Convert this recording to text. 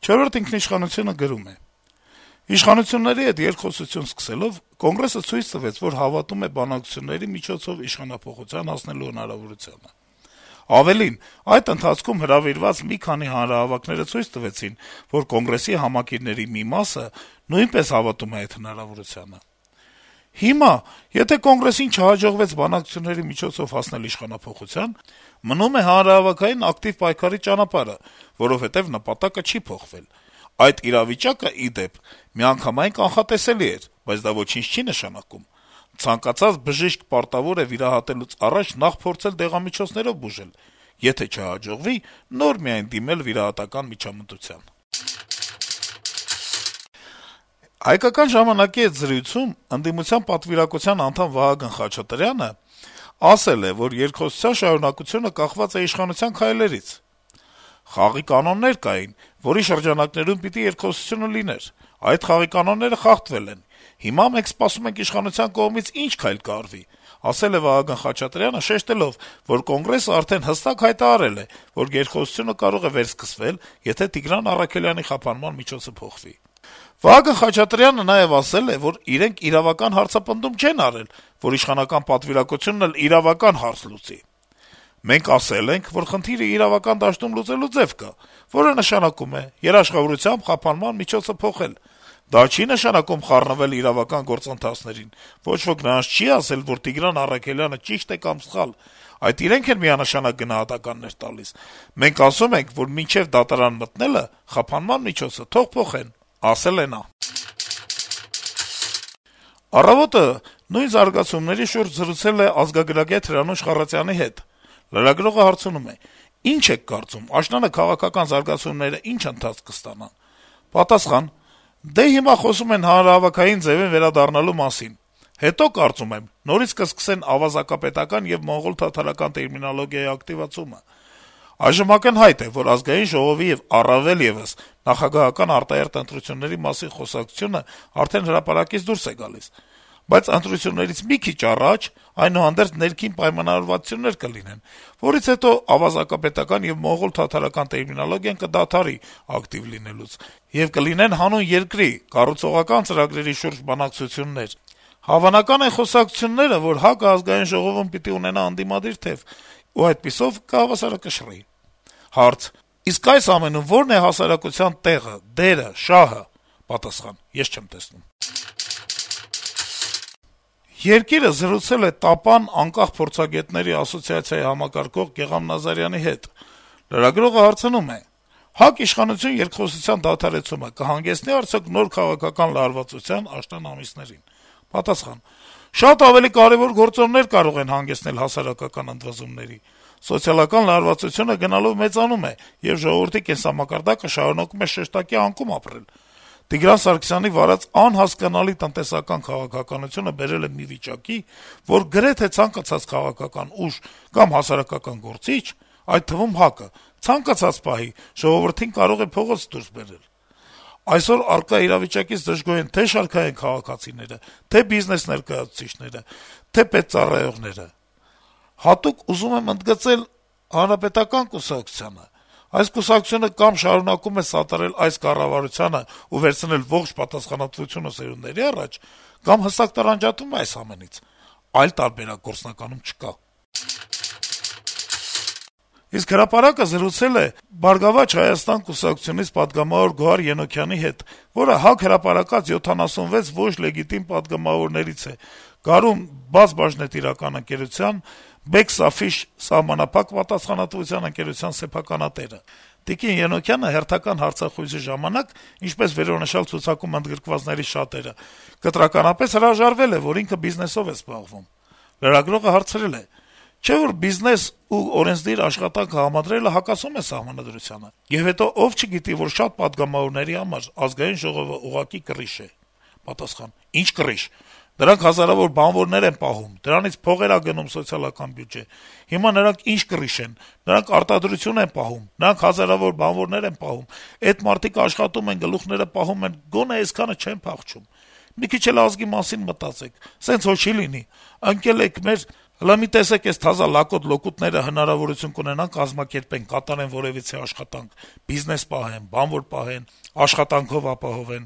«Չորրորդ ինքնիշխանություն»-ը գրում է. - «Իշխանությունների հետ երկխոսություն սկսելով Կոնգրեսը ցույց տվեց, որ հավատում է բանակցությունների միջոցով իշխանափոխության հասնելու հնարավորությանը: Ավելին, այդ ընթացքում հրավիրված մի քանի հանրահավաքները ցույց տվեցին, որ Կոնգրեսի համակիրների մի մասը նույնպես հավատում է այդ հնարավորությանը: Հիմա, եթե Կոնգրեսին չհաջողվեց բանակցությունների միջոցով հասնել իշխանափոխության, մնում է հանրահավաքային ակտիվ պայքարի ճանապարհը, որովհետեւ նպատակը չի փոխվել: Այդ իրավիճակը, ի դեպ, միանգամայն կանխատեսելի էր, բայց դա ոչինչ չի նշանակում: Ցանկացած բժիշկ պարտավոր է վիրահատելուց առաջ նախ փորձել դեղամիջոցներով բուժել, եթե չհաջողվի, նոր միայն դիմել վիրահատական միջամտության»: «Հայկական ժամանակ»-ի հետ զրույցում ընդդիմության պատվիրակության անդամ Վահագն Խաչատրյանը ասել է, որ երկխոսության շարունակությունը կախված է իշխանության քայլերից. - «Խաղի կանոններ կային, որի շրջանակներում պիտի երկխոսությունը լիներ: Այդ խաղի կանոնները խախտվել են: Հիմա մենք սպասում ենք իշխանության կողմից ինչ քայլ կարվի», - ասել է Վահագն Խաչատրյանը, շեշտելով, որ Կոնգրեսը արդեն հստակ հայտարարել է, որ երկխոսությունը կարող է վերսկսվել, եթե Տիգրան Առաքելյանի խափանման միջոցը փոխվի: Վահագն Խաչատրյանը նաեւ ասել է, որ իրենք իրավական հարցապնդում չեն արել, որ իշխանական պատվիրակությունն էլ իրավական հարց լուծի: «Մենք ասել ենք, որ խնդիրը իրավական դաշտում լուծելու ձեւ կա, որը նշանակում է երաշխավորությամբ խափանման միջոցը փոխել: Դա չի նշանակում խառնվել իրավական գործընթացներին: Ոչ ոք նրանց չի ասել, որ Տիգրան Առաքելյանը ճիշտ է կամ սխալ: Այդ իրենք են միանշանակ գնահատականներ տալիս: Մենք ասում ենք, որ մինչեւ դատարան մտնելը խափանման միջոցը թող փոխեն», - ասել է նա: «Առավոտ»-ը նույն զարգացումների շուրջ զրուցել է ազգագրագետ Հրանուշ Խառատյանի հետ: Լրագրողը հարցնում է. - «Ինչ եք կարծում, աշնանը քաղաքական զարգացումները ինչ ընթացք կստանան»: Պատասխան. - «Դե հիմա խոսում են հանրահավաքային ձեւին վերադառնալու մասին: Հետո, կարծում եմ, նորից կսկսեն ավազակապետական եւ մոնղոլ-թաթարական տերմինոլոգիայի ակտիվացումը: Այժմ ակնհայտ է, որ Ազգային ժողովի եւ առավել եւս նախագահական արտահերթ ընտրությունների մասին խոսակցությունը արդեն հրապարակից դուրս է գալիս: Բայց ընտրություններից մի քիչ առաջ, այնուհանդերձ, ներքին պայմանավորվածություններ կլինեն, որից հետո ավազակապետական եւ մոնղոլ-թաթարական տերմինոլոգիան կդադարի ակտիվ լինելուց, եւ կլինեն հանուն երկրի կառուցողական ծրագրերի շուրջ բանակցություններ: Հավանական են խոսակցությունները, որ ՀԱԿ-ը Ազգային ժողովում պիտի ունենա ընդդիմադիր թեւ, ու այդպիսով կհավասարակշռի»: Հարց. - «Իսկ այս ամենում ո՞րն է հասարակության տեղը, դերը, շահը»: Պատասխան. - «Ես չեմ տեսնում»: «Երկիր»-ը զրուցել է ՏԱՊԱ-ն անկախ փորձագետների ասոցիացիայի համակարգող Գեղամ Նազարյանի հետ: Լրագրողը հարցնում է. - «ՀԱԿ իշխանություն երկխոսության դադարեցումը կհանգեցնի՞ արդյոք նոր քաղաքական լարվածության աշնան ամիսներին»: Պատասխան. - «Շատ ավելի կարեւոր գործոններ կարող են հանգեցնել հասարակական ընդվզումների: Սոցիալական լարվածությունը գնալով մեծանում է, եւ ժողովրդի կենսամակարդակը շարունակում է շեշտակի անկում ապրել: Տիգրան Սարգսյանի վարած անհասկանալի տնտեսական քաղաքականությունը բերել է մի վիճակի, որ գրեթե ցանկացած քաղաքական ուժ կամ հասարակական գործիչ, այդ թվում ՀԱԿ-ը, ցանկացած պահի ժողովրդին կարող է փողոց դուրս բերել: Այսօր առկա իրավիճակից դժգոհ են թե շարքային քաղաքացիները, թե բիզնես ներկայացուցիչները, թե պետծառայողները: Հատուկ ուզում եմ ընդգծել Հանրապետական կուսակցությանը: Այս կուսակցությունը կամ շարունակում է սատարել այս կառավարությանը ու վերցնել ողջ պատասխանատվությունը սերունդների առաջ, կամ հստակ տարանջատվում է այս ամենից: Այլ տարբերակ գործնականում չկա»: Իսկ «Հրապարակ»-ը զրուցել է «Բարգավաճ Հայաստան» կուսակցությունից պատգամավոր Գոհար Ենոքյանի հետ, որը ՀԱԿ հրապարակած 76 ոչ լեգիտիմ պատգամավորներից է, Գարուն բաց-բաժնետիրական ընկերության, «Բեքս-Աֆիշ» սահմանափակ պատասխանատվության ընկերության սեփականատերը: Տիկին Ենոքյանը հերթական հարցախույզի ժամանակ, ինչպես վերոնշյալ ցուցակում ընդգրկվածների շատերը, կտրականապես հրաժարվել է, որ ինքը բիզնեսով է զբաղվում: Լրագրողը հարցրել է. - «Չէ՞ որ բիզնես ու օրենսդիր աշխատանքը համադրելը հակասում է Սահմանադրությանը: Եվ հետո ով չգիտի, որ շատ պատգամավորների համար Ազգային ժողովը ուղղակի կռիչ է»: Պատասխան. - «Ինչ կռիչ: Դրանք հազարավոր բանվորներ են պահում, դրանից փողեր ա գնում սոցիալական բյուջե: Հիմա նրանք ինչ կռիչ են: Նրանք արտադրություն են պահում, նրանք հազարավոր բանվորներ են պահում: Էդ մարդիկ աշխատում են, գլուխները պահում են, գոնե այսքանը չեն փախչում: Մի քիչ էլ ազգի մասին մտածեք: Սենց հո չի լինի: Ընկել եք մեր Հլա մի տեսեք, այս թազա լակոտ լոկուտները հնարավորություն կունենան կազմակերպեն, կատարեն որեւիցե աշխատանք, բիզնես պահեն, բանվոր պահեն, աշխատանքով ապահովեն,